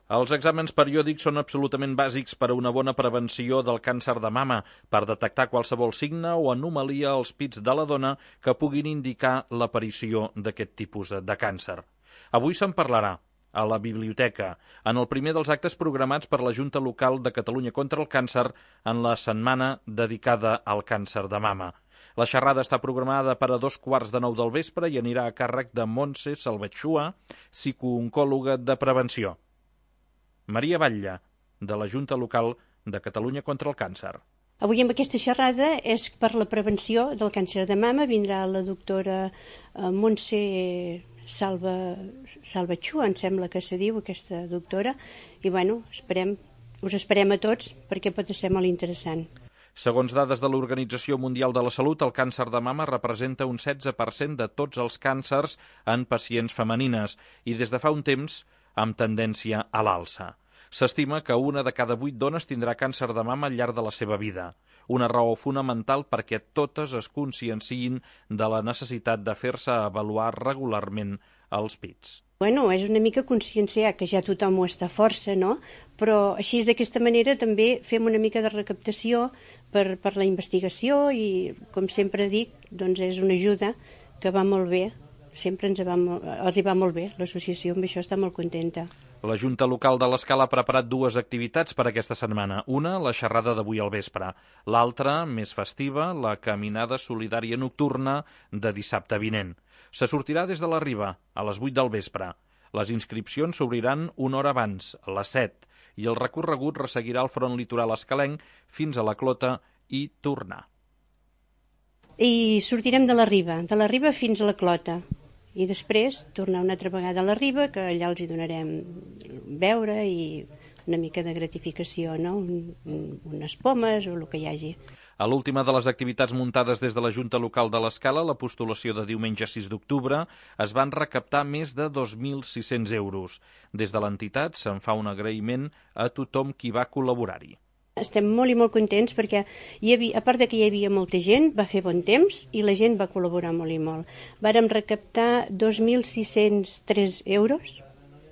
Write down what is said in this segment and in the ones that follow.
Els exàmens periòdics són absolutament bàsics per a una bona prevenció del càncer de mama, per detectar qualsevol signe o anomalia als pits de la dona que puguin indicar l'aparició d'aquest tipus de càncer. Avui se'n parlarà a la biblioteca, en el primer dels actes programats per la Junta Local de Catalunya contra el Càncer en la setmana dedicada al càncer de mama. La xerrada està programada per a 8:15 del vespre i anirà a càrrec de Montse Salvatxua, psicooncòloga de prevenció. Maria Batlle, de la Junta Local de Catalunya contra el Càncer. Avui amb aquesta xerrada és per la prevenció del càncer de mama. Vindrà la doctora Montse Salvatxua, em sembla que se diu aquesta doctora, i us esperem a tots perquè pot ser molt interessant. Segons dades de l'Organització Mundial de la Salut, el càncer de mama representa un 16% de tots els càncers en pacients femenines i des de fa un temps amb tendència a l'alça. S'estima que una de cada 8 dones tindrà càncer de mama al llarg de la seva vida, una raó fonamental perquè totes es conscienciïn de la necessitat de fer-se avaluar regularment els pits. És una mica conscienciar, que ja tothom ho està força, no? Però així d'aquesta manera també fem una mica de recaptació per la investigació i, com sempre dic, doncs és una ajuda que va molt bé. Sempre els hi va molt bé. L'associació amb això està molt contenta. La Junta Local de l'Escala ha preparat 2 activitats per aquesta setmana. Una, la xerrada d'avui al vespre. L'altra, més festiva, la caminada solidària nocturna de dissabte vinent. Se sortirà des de la Riba, a les 8 del vespre. Les inscripcions s'obriran una hora abans, a les 7, i el recorregut resseguirà el front litoral escalenc fins a la Clota i tornar. I sortirem de la Riba fins a la Clota. I després tornar una altra vegada a la Riba, que allà els hi donarem beure i una mica de gratificació, no? Unes pomes o el que hi hagi. A l'última de les activitats muntades des de la Junta Local de l'Escala, la postulació de diumenge 6 d'octubre, es van recaptar més de 2.600 euros. Des de l'entitat se'n fa un agraïment a tothom qui va col·laborar-hi. Estem molt i molt contents perquè, a part de que hi havia molta gent, va fer bon temps i la gent va col·laborar molt i molt. Vàrem recaptar 2.603 euros,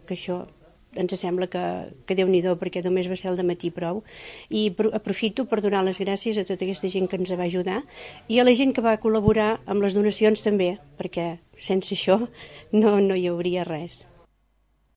que això ens sembla que Déu-n'hi-do perquè només va ser el dematí prou, i aprofito per donar les gràcies a tota aquesta gent que ens va ajudar i a la gent que va col·laborar amb les donacions també, perquè sense això no hi hauria res.